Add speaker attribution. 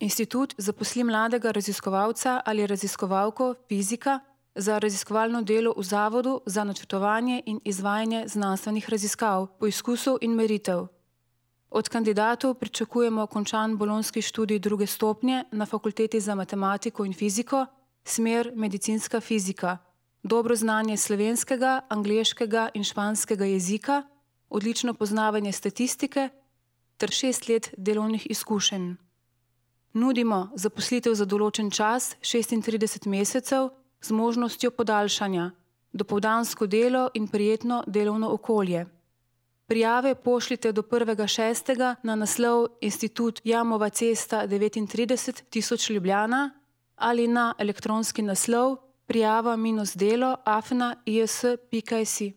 Speaker 1: Institut zaposli mladega raziskovalca ali raziskovalko fizika za raziskovalno delo v zavodu za načrtovanje in izvajanje znanstvenih raziskav, poizkusov in meritev. Od kandidatov pričakujemo končan bolonjski študij 2. stopnje na Fakulteti za matematiko in fiziko, smer medicinska fizika, dobro znanje slovenskega, angleškega in španskega jezika, odlično poznavanje statistike ter 6 let delovnih izkušenj. Nudimo zaposlitev za določen čas 36 mesecev z možnostjo podaljšanja, dopoldansko delo in prijetno delovno okolje. Prijave pošljite do 1.6. na naslov Institut Jamova cesta 39 1000 Ljubljana ali na elektronski naslov prijava-delo@is.si.